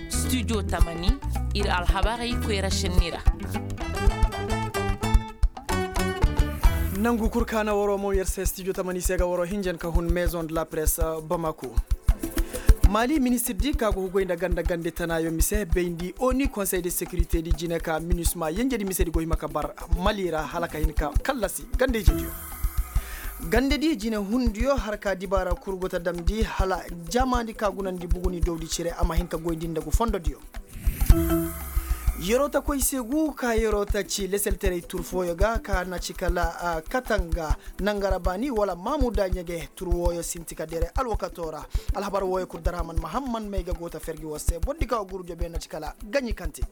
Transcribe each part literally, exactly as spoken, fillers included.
Studio tamani, ir alhabarey koyra šenni ra. Nangu kul ka na waroo mo yer se studio tamani se ga waroo hinjan ka hun maison de la presse, bamako. Mali ministir di ka go hugay nda ganda gande tanaayo mise bayndi oni konsey de sekirite di jine ka minisma yenjedi mise di go hima ka bar mali ra hala ka hin ka kallasi gande ijediyo. Gande di jine hundiyo har ka dibaara kul go ta damndi hala jamaandi ka gunandi buguni dowdi cire a ma hin ka goyndi nda gu fondodiyo. Yeroo ta koy se gu ka yeroo ta ci leselterey tur fooyo ga ka na ci kala katanga nangara baani wala maamuda ɲege tur wooyo sinti ka dere alwakatoo ra. Alhabar wooyo kul daraman mahamman may ga go ta fergi war se boro di ka war gurjo be na ci kala gaɲi kante.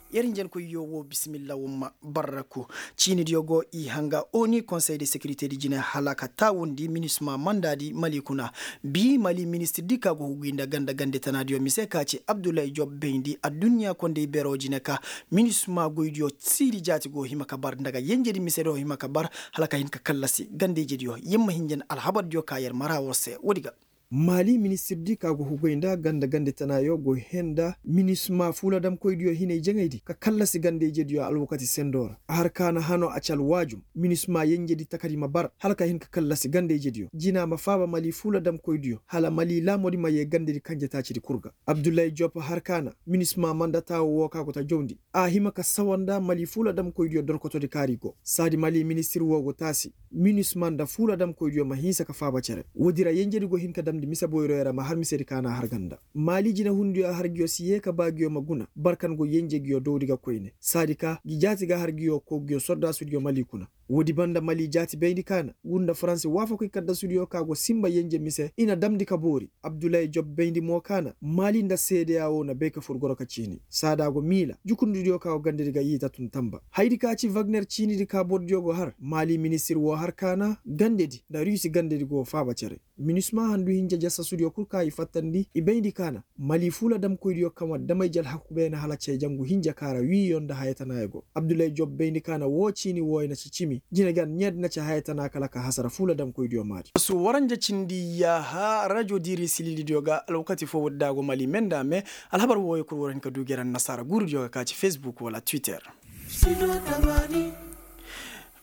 Yer hinjankoyyo woo bisimilla wumma barraku. Ciinidiyo go i hanga oni konsey de sekirite di jine hala ka taawundi minisma manda di mali kuna. Bii mali ministir di ka go huguy nda ganda gande tanaadiyo mise ka ci abdullahi job bayndi adduɲɲa kondey beroo jine ka minisma goydiyo siiri jaati go hima ka bar nda ga yenjedi mise do hima ka bar hala ka hin ka kallasi ganda ijediyo yer ma hinjan alhabardiyo ka yer mara war se woodi ga. Mali ministir di ka go huguy nda ganda gande tanaayo go hee nda minisma fuuladamkoydiyo hinay jaŋaydi ka kallasi ganda ijediyo alwakati sendoo ra a har ka na hanoo a ci alwaajum minisma yenjedi takadi ma bar hala ka hin ka kallasi ganda ijediyo jina ma faaba mali fuuladamkoydiyo hala mali laamodi ma yee gandedi kanjetaacidi kul ga. Abdullahi jop har ka na minisma manda taawo woo ka go ta jawndi a hima ka sawa nda mali fuuladamkoydiyo dorkotodi kaari go saadi mali ministir woo go taasi minisma nda fuuladamkoydiyo ma hinsa ka faaba cere woodi ra yenjedi go hin ka damndi mise boyroyo ra ma har misedi ka na har ganda. Mali jinehundiyo har nguyo si yee ka ba nguyo ma guna barkan go yenje nguyo dowdi ga koyne saadi ka ngi jaati ga har nguyo koo nguyo sordaasudiyo mali kuna. Woodi banda mali jaati bayndi ka na ngu nda faransi waafakoy kaddasudiyo ka go sinba yenje mise i na damndi ka boori abdullahi job bayndi mo ka na mali nda seedeya woo na bay ka fur goro ka ciini saada go miila jukundidiyo ka go gandedi ga yiita tun tamba hayadi ka ci wagner ciinidi ka borodiyo go har mali ministir woo har ka na gandedi nda rusi gandedi go faaba cere. Minisma handu hinja jasasudiyo kul ka i fattandi i bayndi ka na mali fuuladamkoydiyo kaŋ war damay ji alhaku beene hala cee jangu hinja ka ra wiiyo nda haya tana ya go abdullahi job bayndi ka na woo ciini wooyo na ci cimi jine gan ɲeedi na ci haya tana kala ka hasara fuuladamkoydiyo maadi. Su waranja cindi yaaha rajo diiri sililidiyo ga alwakati foo woodi da a go mali me nda a me. Alhabar wooyo kul war hin ka du gere annasaara guurudiyo ga ka ci facebook wala twitter.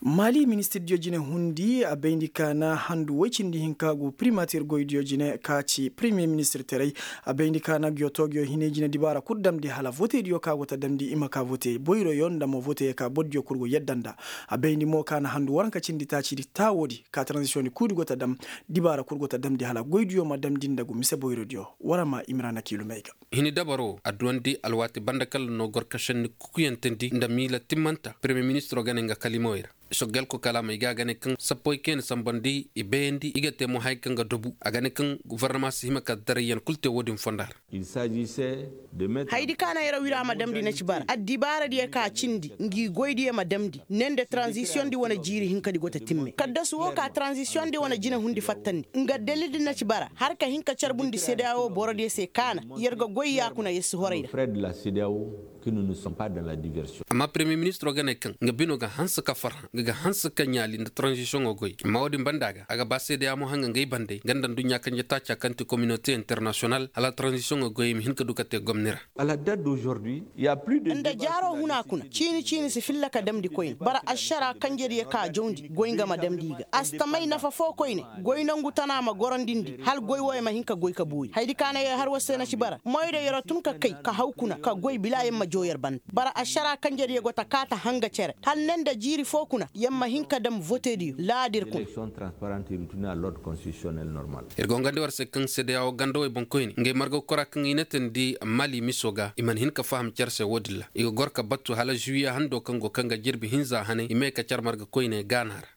Mali ministirdiyo jine hundi a bayndi ka na handu woy cindi hinka gu primatir goydiyo jine ka ci premiye ministir teray. A bayndi ka na giyo toogiyo hinay jine dibaara kul damndi hala votediyo ka go ta damndi i ma ka vote boyroyo nda mo vote ka bordiyo kul go yadda nda. A bayndi mo ka na handu waranka cindi taacidi taawoodi ka transisiyoŋdi kuudi go ta dam dibaara kul go ta damndi hala goydiyo ma damndi nda gu mise boyrodiyo. War a ma imira na kiilumey ga. Hini dabaro a duwandi alwaati banda kala no gor ka šenni kukuyantandi nda miila timmanta premiye ministiro gane nga kalimawey ra. Soggelko kalaamey ga a gane kaŋ sappoy kayna sambandi i bayandi i ga te mo haya kaŋ ga dobu a gane kaŋ gofornama si hima ka darayyan kul te wo-din fonda ra. Hayadi ka na yer wira ma damndi na ci bara addibaaradiyo ka cindi ngi goydiyo ma damndi ne nda taranzisiyoŋdi wane jiiri hinkadi go ta timme kaddasu wo ka taranzisiyoŋdi wane jine hundi fattandi nga dalildi na ci bara har ka hin ka carbundi sedeya wo borodiyo se ka na yer ga goy yaakuna yer si horay ra. Amma premiye ministiro ga ne kaŋ nga bino ga hanse ka farhã nga ga hanse ka ɲaali nda taranzisiyoŋo goy amma wo-din banda ga a ga ba sedeya mo hanga ngay bandey nga nda aduɲɲa kanje taaca kaŋ ti kominote internasiyonal hala taranzisiyoŋo goy i ma hin ka du ka te gomni ra. Nda jaaro huna kuna ciini ciini si filla ka damndi koyne bara ašara kanjediyo ka jawndi goy nga ma damndi i ga a si ta may nafa foo koyne. Goy nongu tana ma gorondindi hala goy wooyo ma hin ka goy ka boori hayadi ka na yer har war se na ci bara moyda yer tun ka kay ka haw kuna ka goy bila yer ma joo yer banda bara ašara kanjediyo go ta kaa ta hanga cere hala ne nda jiiri foo kuna yer ma hin ka dam votediyo laadir kuna. Ir go ngandi war se kaŋ sedeya wo ganda wey boŋkoyne ngey marga kora kaŋ i na tandi mali miso ga i mana hin ka faham care se wo-din ra i ga gor ka battu hala zuwiya hando kaŋ go kaŋ ga jirbi hinza hanay i may ka care marga koyne gaana ra.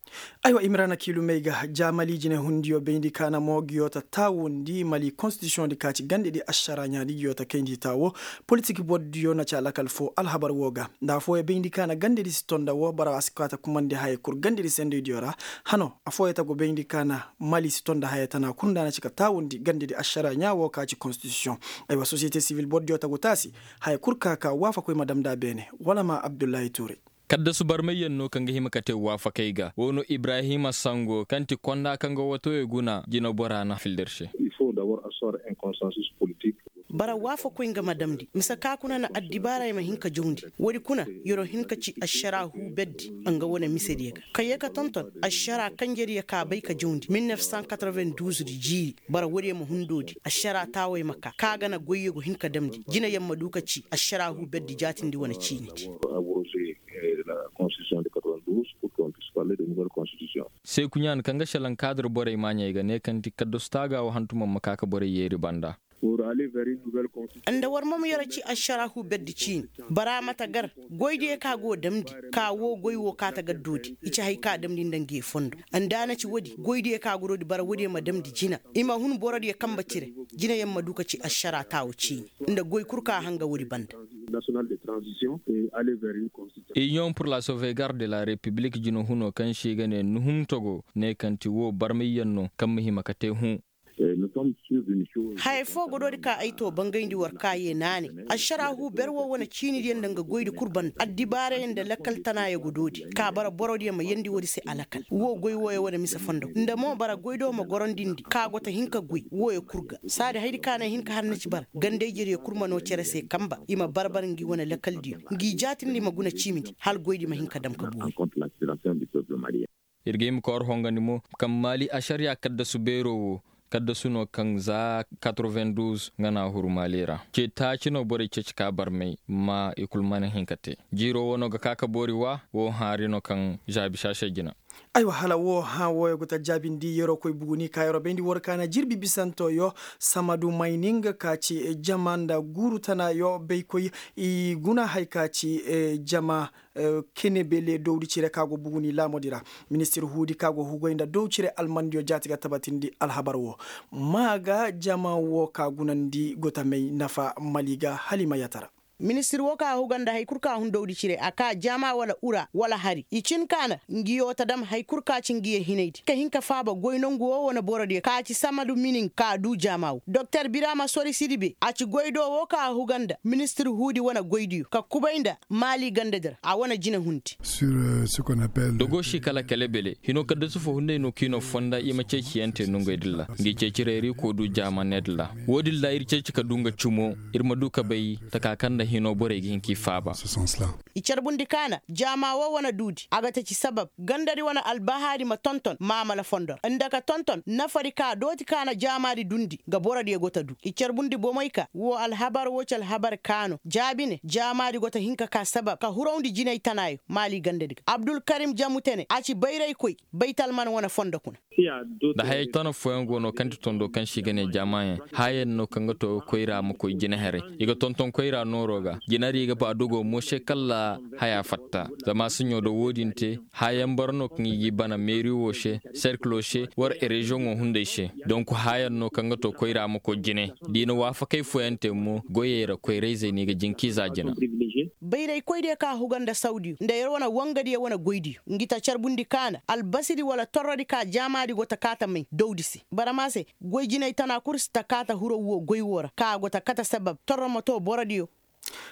Aywa imrana kiilumey ga ja mali jinehundiyo bayndi kaana mo giyo ta taawundi mali konstitisiyoŋ di ka ci gandedi ašara ɲaadi giyo ta kayndi taawo politik bordiyo na ci alakal foo alhabar wo ga nda afooyaŋ bayndi kaana gandedi si tonda wo bara a si kaa ta kumandi haya kul gandedi sendeydiyo ra. Hano afooyaŋ ta go bayndi kaana mali si tonda haya tana kul nda a na ci ka taawundi gandedi ašara ɲaa wo ka ci konstitisiyoŋ. Aywa sosiyete sivil bordiyo ta go taasi haya kul ka ka waafakoy ma dam nda a beene wala ma abdullahi tuure. Kaddasu barmayyaŋ no kaŋ ga hima ka te waafakey ga wo no ibrahima sango kaŋ ti konda kaŋ ga watowey guna jinabora na fildir se. Bara waafakoy nga ma damndi mise ka kuna na addibaarey ma hin ka jawndi. Woodi kuna, yer'o hin ka ci ašara huu berdi nga wane misediyo ga kaŋ ye ka tonton ašara kanjediyo ka bay ka jawndi mil nef san katreven duuz di jiiri. Bara woodiyo ma hundoodi ašara taawey ma ka ka ga na goyyo ga hin ka damndi jinayaŋ ma du ka ci ašara huu berdi jaatindi wane ciinidi. Seekuɲaan kaŋ ga šelaŋ kaadir borey maaɲey ga ne kaŋ ti kaddasu taaga wo hantumaŋ ma ka ka borey yeeri banda. Nda war ma ma yara ci ašara huu berdi ciini. Bara ma ta gar goydiyo ka go damndi ka wo goy wo ka ta gar doodi i ci hay ka damndi nda ngi fondo. Nda a na ci woodi goydiyo ka go doodi bara woodiyo ma damndi jina i ma hun borodiyo kambe cire. Jinayaŋ ma du ka ci ašara taawo ciini nda goy kul ka hanga woodi banda. Iniyoŋ pur la sauvegarde de la repiblik jina huno kaŋ se i ga ne nuhum togo ne kaŋ ti wo barmayyaŋ no kaŋ ma hima ka te hũ. Hayey foo go doodi ka ay too bangayndi war ka yee naanay. Ašara huu ber woo wane ciinidiyo nda nga goydi kul banda addibaarey nda lakkal tanaayo go doodi ka bara borodiyo ma yeendi woodi se alakal woo goy wooyo wane mise fondo nda mo bara goy do ma gorondindi ka go ta hin ka goy wooyo kul ga saadi haydi ka na ay hin ka har na ci bara ganda-ijediyo kul ma noo cere se kamba i ma bar-bar ngi wane lakaldiyo ngi jaatindi ma guna ciimindi hala goydi ma hin ka dam ka boori. Ir ga hima ka war hongandi mo kaŋ maali ašariya kaddasu beeroo woo kaddasu no kaŋ za katroven duuz nga na a huru maali ra ce taaci no borey ceeci ka barmay ma i kul mana hin ka te. Jiiroo woo no ga ka ka boori wa woo haari no kaŋ zaabi saasay jina. Aywa hala woo hã wooyo ga ta jaabindi yeroo koy buguni ka yeroo bayndi war ka na jirbi bisanto yo samadu mayni nga ka ci jama nda guuru tana yo baykoy i guna hay ka ci jama kenebele dowdi cire ka go buguni laamodi ra. Ministir huudi ka go hugoy nda dow cire almandiyo jaati ga tabatindi alhabar wo. Maa ga jama wo ka gunandi gotamey nafa mali ga hala i ma yatara. Ministir wo ka huga nda hari kul ka hun dowdi cire a ka jama wala ura wala hari i cin ka na ngi yo ta dam hari kul ka ci ngi ye hinaydi ka hin ka faaba goy nongu wo wane borodiyo ka ci samadu minin ka du jama wo doktor birama sori sidibe a ci goy do wo ka huga nda ministir huudi wane goydiyo ka kubay nda maali gandadi ra a wane jinahundi. Dogo si kala kale bele hino kaddasu fo hunday no kiino fonda i ma ceeciyante nongey dilla ngi ceeci reeri ko du jaamane dilla. Wo dilla ir ceeci ka du nga cumo ir ma du ka bay taka kaŋ nda hino borey ga hin k'i faaba. I carbundi kaana jaama wo wane duudi a ga taci sabab gandadi wane albahaari ma tonton maamala fondo ra nda ka tonton nafadi ka dooti kaana jaamaadi dundi nga borodiyo go ta du i carbundi bomey ka wo alhabar wo ci alhabar kaano jaabi ne jaamaadi go ta hin ka ka sabab ka hurawndi jinay tanaayo maali gandadi ga abdulkarim jamutene a ci bayraykoy baytalman wane fondo kuna. Da hayey tana fooyaŋ go no kaŋ ti tondo kaŋ se i ga ne jaamaayaŋ haayaŋ no kaŋ ga to koyra ma koy jinaherey i ga tonton koyra nooro ga jinari i ga ba dogo mo se kalla haya fatta. Zama siɲo da wo-din te haayaŋ boro no kaŋ i g'i bana meeri wo se serkilo se war reziyoŋo hunday se. Donk haayaŋ no kaŋ ga to koyra ma koy jine da i na waafakey fooyaŋ te mo goyey ra koyrayzey no i ga jin k'i za jina. Bayraykoy diyo ka huga nda sawdiyo nda yer wane wangadiyo wane goydiyo ngi ta carbundi kaana albasidi wala torrodi ka jaamaadi go ta kaata may dawdi se barama se goy jinay tana kul si ta kaata huraw wo goy wo ra ka go ta kate sabab torro ma to borodiyo.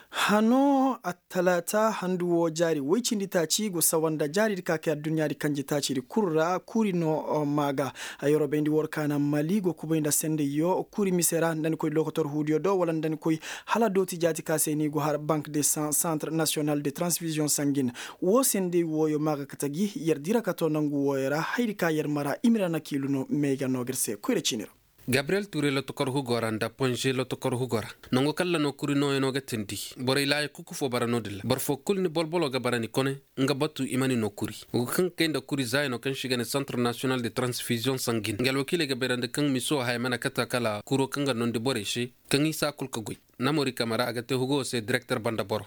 Hano attalaata handu wo jaari woy cindi taaci go sawa nda jaaridi ka kay adduɲɲaadi kanji taacidi kul ra kuri no maa ga. Ayorobayndi war kaana mali go kubay nda sendayyo kuri mise ra nda ni koy lokotor huudiyo do wala nda ni koy hala dooti jaati ka se ni go har bank de centre national de transfusion sangin. Wo senday wooyo maa ga kate gi yer dira ka to nangu wooyo ra haydi ka yer mara i ma ra na kiilu no meega no ga ir se koyra ciini ra. Gabriyel ture lotokor hugo ra nda ponze lotokor hugo ra nango kaŋ ra no kuri nooyaŋo ga teendi borey laaya kuku fo bara no-din ra boro fo kulu ni bolbolo ga bara ni kone nga batu i ma ni no kuri. Wo ga kaŋ ga kay nda kuri zaayano kaŋ se i ga ne centre national de transfusion sangin nga alwakiiley ga bayrandi kaŋ miso haya mana kate kala kuro kaŋ ga noondi borey se kaŋ i si a kul ga goy. Namori kamara a ga te hugo se direkter banda boro.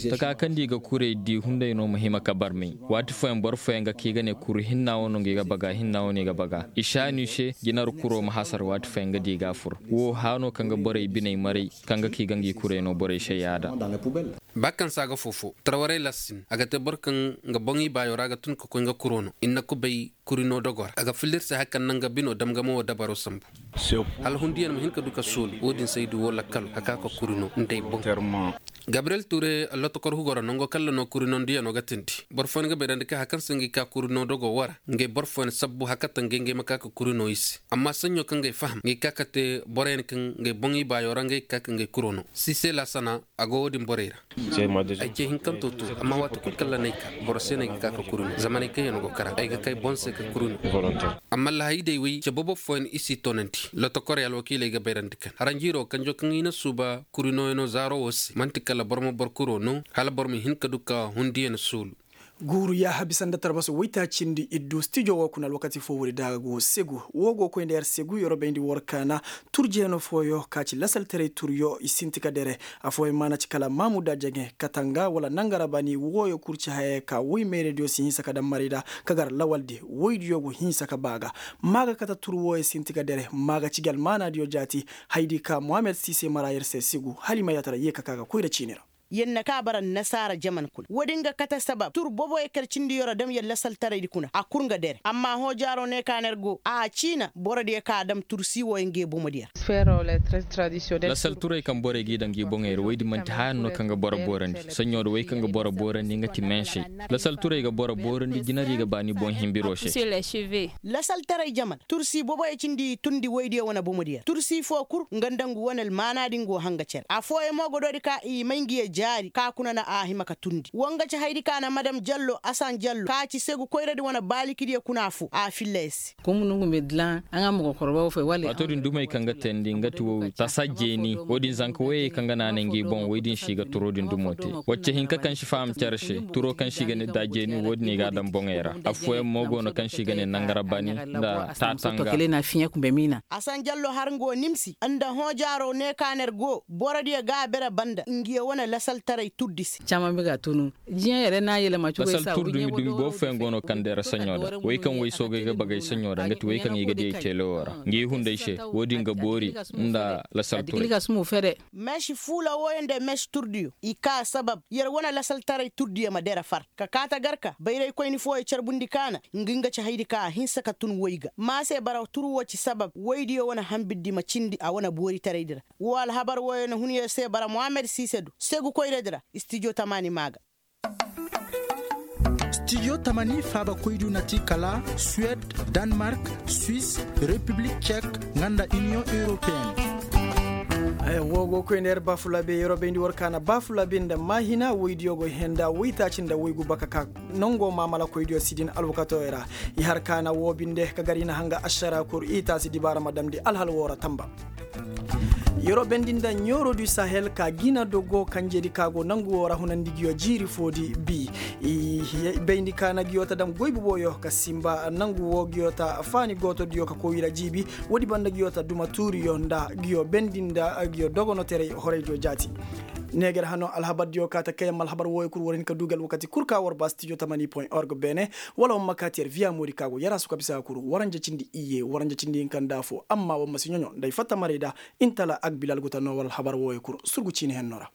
Taka kaŋ da i ga kurey di hunday no ma hima ka barmay. Waati fooyaŋ boro fooyaŋ ga ka i ga ne kuru hinna wo no nga i ga baga hinna wo no i ga baga i saani se jinar kuro ma hasar waati fooyaŋ ga di i ga a fur. Wo haano kaŋ ga borey biney maray kaŋ ga ka i ga ngi kurey no borey se yaada. Ba kaŋ se a ga foofo tarwarey lassin a ga te boro kaŋ nga boŋ i baayo ra ga tun ka koy nga kuro no i na kubay kuri no dogo ra a ga filla ir se hari kaŋ naŋ ga bino dam ga mo wo dabaro sambu. Hala hundiyaŋ ma hin ka du ka soolu wo-din se ay du wo lakkalo ka ka ka kuri no nda ay boŋ. Gabriyel ture lotokor hugo ra nango kalla no kurino ndiyano ga tindi. Boro fooyaŋ ga bayrandi kaŋ hari kaŋ se ngey ka kurino dogo wo ra, ngey boro fooyaŋ sabbu hari kaŋ ta ngey ngey ma ka ka kurino i se. Amma saɲɲo kaŋ ngey faham ngey ka ka te boroyaŋ kaŋ ngey boŋ ibaayo ra ngey ga ka ka ngey kuro no. Sise laasana, a go wo-din borey ra. Ay ce hinkanto to, amma waati kulu kalla n'ay ka, boro se no ay ga ka ka kuri no zamaney kaŋ yaŋ go kara ay ga kay boŋ se ka kuri no. Amma lahaydey wey ce bobo fooyaŋ i si toonandi. Lotokorey alwakiiley ga bayrandi kaŋ haranjiiro kanjo kaŋ i na suuba kuri nooyaŋo zaaro wo se man'ti kala boro ma boro kuro no, hala boro ma hin ka du ka hundiyaŋ suulu. Guuru yaaha bisa nda tarbaso waytaacindi iddu stijo wo kuna alwakati fo woodi da a ga go segu wo go koy nda yer segu yer bayndi war kaana. Turjeeno fooyo ka ci lasaltaray turyo i sinti ka dere. Afooyaŋ maana ci kala maamuda jaŋe katanga wala nangara bani wooyo kul ci hayey ka woy meerediyo si hinsa ka daŋ marayda ka gar lawaldi woydiyo go hinsa ka baa ga. Maa ga kate tur wooyo sinti ka dere maa ga ci gi almaanaadiyo jaati. Haydi ka mohammed siise mara yer se segu hala i ma yaatara yee ka ka ga koyra ciini ra. Yer na ka bara nasaara jaman kuna woodin ga kate sabab tur boboyo kar cindi yer dam yer lasaltaraydi kuna a kul nga dere amma hoojaaro ne ka na yer go a ciina borodiyo ka dam tur si wooyo ngey bomodiyo ra. Lasal turay kaŋ borey g'i daŋ g'i boŋey ra woy din man'ti haya no kaŋ ga boro boorandi saɲɲo da woy kaŋ ga boro boorandi nga ti meesey. Lasal turay ga boro boorandi jinari ga ba ni boŋ himbiro se. Lasal taray jaman tursi boboyo cindi i tundi woydiyo wane bomodiyo ra tursi foo kul nga nda ngu wane almaana din go hanga cere afooyaŋ mo ga doodi ka i may ngi ye jaari ka kuna na a hima ka tundi wo nga ci haydi ka na madam jallo asan jallo ka ci segu koyradi wane baalikidiyo kuna foo a filla yer se. Waato din dumey kaŋ ga teendi nga ti wow tasa jeeni wo-din zanka woyey kaŋ ga naanay ngi boŋ woy din se i ga turo din dumo te. Wacce hinka kaŋ si faham cere se turo kaŋ se i ga ne da jeeni wo-din i ga a daŋ boŋey ra. Affooyaŋ mo go no kaŋ se i ga ne nangara bani nda taatanga. Asan jallo har nga wo nimsi nda hoojaaro ne ka na yer go borodiyo ga a bere banda ngiyo wane lasaltaray turdi se. Caman bi ga tunu jiyaŋ yere na yelema cogo i sa wi ɲeebo do. Boro fooyaŋ go no kaŋ deera saɲo da wey kaŋ wey soogay ga bagay saɲo da nga ti wey kaŋ i ga di ay teelewo ra ngi hunday se wo-din ga boori nda lasal turay. Meesi fuula wooyo nda meesi turdiyo i ka sabab yer wane lasaltaray turdiyo ma deera far ka kaata garka bayraykoyni fooyo carbundi kaana ngi nga ci haydi ka a hinsa ka tun woy ga ma se bara tur woo ci sabab woydiyo wane hambirdi ma cindi a wane booritaraydi ra. Woo alhabar wooyo na hun yer se bara mohammed siise do segu koyradi ra. Stijo tamaani maa ga. Stijo tamani faabakoydu na ti kala suwed, danmark, suis, repiblik cek, nga nda iniyoŋ europeen. Woo go koy nda yer baafulaabe yeroo bayndi war kaana baafulaabe nda maahina woydiyo go henda woytaaci nda woygu baka ka nongo maamalakoydiyo si din alwakatoo ra. I har kaana woo binde ka gar i na hanga ašara kur i taasi dibaara ma damndi alhal woo ra tamba. Yeroo bendi nda ɲooro du sahel ka gina dogo kanjedi ka go nangu woo ra hunandi ngiyo jiiri foodi bi. Bayndi ka na ngiyo ta dam goy boboyo ka simba nangu woo ngiyo ta faani gootodiyo ka koy i ra jiibi. Woodi banda ngiyo ta duma tuuriyo nda ngiyo bendi nda ngiyo dogonoterey horaydiyo jaati. Neeger hano alhabardiyo ka ta kayam alhabar wooyo kul war hin ka duu gi alwakati kul ka war ba stijo tamani point org beene. Wala war ma kaati yer viya moodi ka go yarasu ka bisa kul waranja cindi iyye waranja cindi hinka nda afo amma war ma si ɲoɲo nda ay fatta maray da. Intala agbilal guta no war alhabar wooyo kul surgu ciini henno ra.